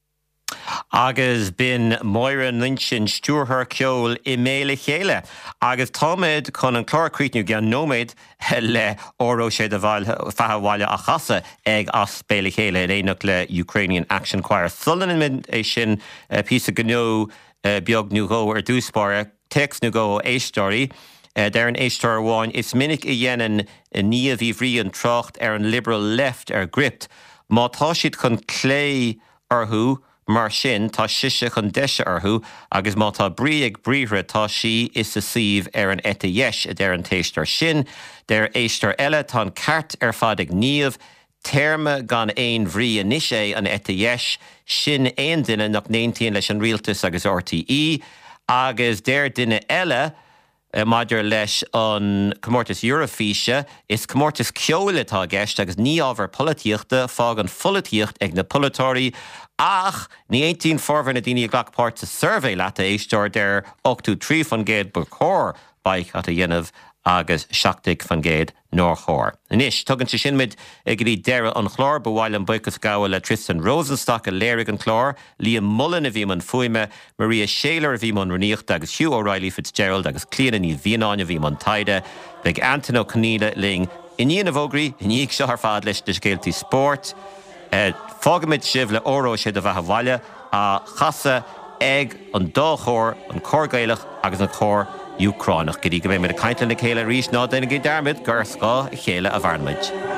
Agus b'in Máire Nuinseann stiúrthóir ceoil i mBéal a Chéile. Agus táimid chun an clár a chríochnú i gceann nóiméad le Óró Sé do Bheatha 'Bhaile á chasadh ag as Béal a Chéile in éineacht le Ukrainian Action Choir. Sula ndéanaimid é sin píosa gnó beag nó dhó ar dtús báire, téacs nó dhó ó éisteoirí. Deir an éisteoir amháin is minic a dhéanann Niamh Uí Bhriain trácht ar an liberal left ar Gript. Má tá siad chun clé orthu, Mar sin tá sise chun deise orthu agus má tá brí ag briathra tá sí ina suí ar an eite dheis a deir an t-éisteoir sin, Deir éisteoir eile tá an ceart ar fad ag Niamh, téarma gan aon bhrí anois é an eite dheis, sin aon duine nach n-aontaíonn leis an rialtas agus RTÉ, agus deir duine eile, maidir leis an comórtas Eurofíse, is comórtas ceoil atá i gceist agus ní ábhar polaitíochta fág an pholaitíocht ag na polaiteoirí ach ní aontaíonn formhór na daoine a ghlac páirt sa suirbhé leat a éisteoir deir ochtó trí faoin gcéad ba chóir baghcat a dhéanamh agus seacht déag faoin gcéad nár chóir. Anois, tugann sé sin muid go dtí deireadh an chláir. Ba mhaith liom buíochas a ghabháil le Tristan Rosenstock a léirigh an clár, Liam Mullen a bhí i mbun fuaime, Maria Shayler a bhí i mbun rúnaíochta agus Hugh O'Reilly Fitzgerald agus Clíona Ní Mhianáin a bhí i mbun taighde. Beidh Antain Ó Conghaile linn i ndiaidh na bhfógraí, i ndiaidh seo ar fad leis na scéaltaí spóirt. Fágaimid sibh le Óró Sé do Bheatha 'Bhaile á chasadh ag an dá chór, an cór Gaelach agus an cór Úcránach. Go dtí go mbeimid ag caint lena chéile arís, ná déanaigí dearmad gur ar scáth a chéile a mhaireann muid.